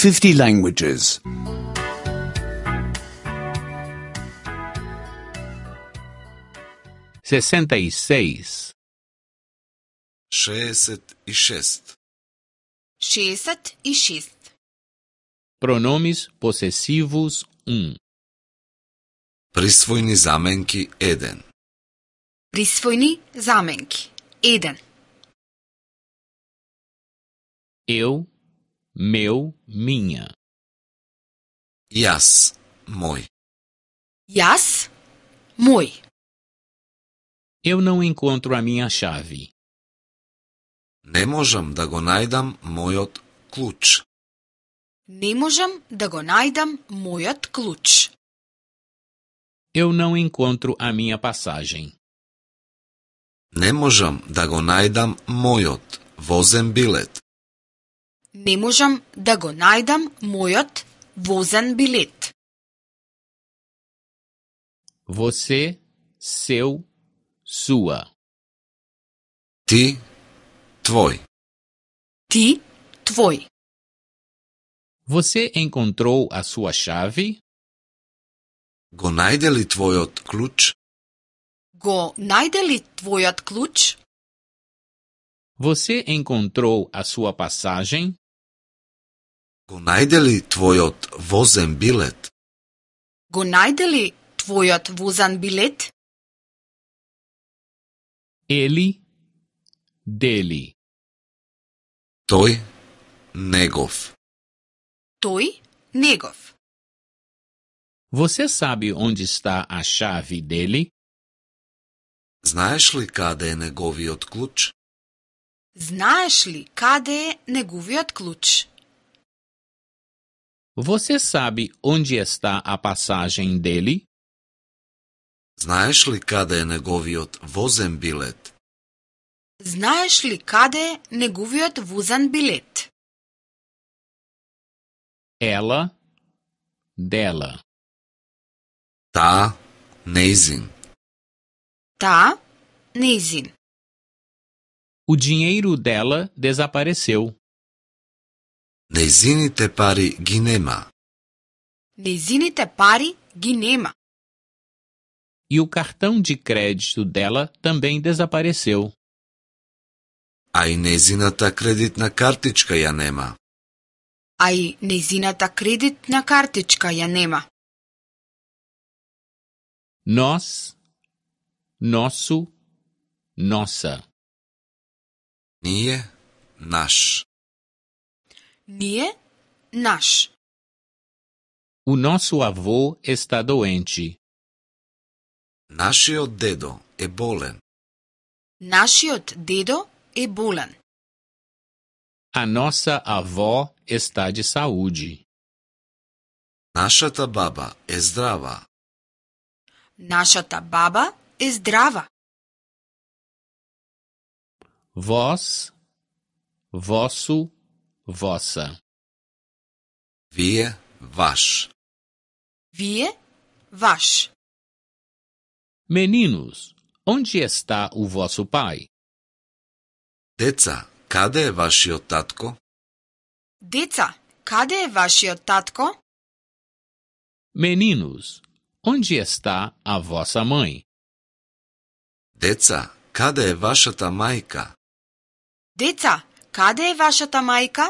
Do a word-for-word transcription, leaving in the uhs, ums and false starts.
fifty languages. sessenta e seis. šezdeset и шест. šezdeset и šest. Pronomes possessivos um. Присвојни заменки еден. Присвојни заменки еден. Eu, meu, minha. Јас, мој. Јас, мој. Eu não encontro a minha chave. Не можам да го најдам мојот клуч. Не можам да го најдам мојот клуч. Eu não encontro a minha passagem. Не можам да го најдам мојот возен билет. Не можам да го најдам мојот возен билет. Você, seu, sua. Ти, твој. Ти, твој. Você encontrou a sua chave? Го најде ли твојот клуч? Го најде ли твојот клуч? Você encontrou a sua passagem? Го најде ли твојот возен билет? Го најде ли твојот возен билет? Ele, dele. Тој, негов. Тој, негов. Você sabe onde está a chave dele? Знаеш ли каде е неговиот клуч? Знаеш ли каде е неговиот клуч? Você sabe onde está a passagem dele? Знаеш ли каде е неговиот возен билет? Знаеш ли каде е неговиот возен билет? Ela, dela. Таа, нејзин. Таа, нејзин. O dinheiro dela desapareceu. Нејзините пари ги нема. Нејзините пари ги нема. E o cartão de crédito dela também desapareceu. А и нејзината кредитна картичка ја нема. А и нејзината кредитна картичка ја нема. Nós, nosso, nossa. Ние, наш. Ние, наш. O nosso avô está doente. Нашиот дедо е болен. Нашиот дедо е болен. A nossa avó está de saúde. Нашата баба е здрава. Нашата баба е здрава. Vós, vosso, vossa. Вие, ваш. Вие, ваш. Meninos, onde está o vosso pai? Деца, каде е вашиот татко? Деца, каде е вашиот татко? Meninos, onde está a vossa mãe? Деца, каде е вашата мајка? Деца, каде е вашата мајка?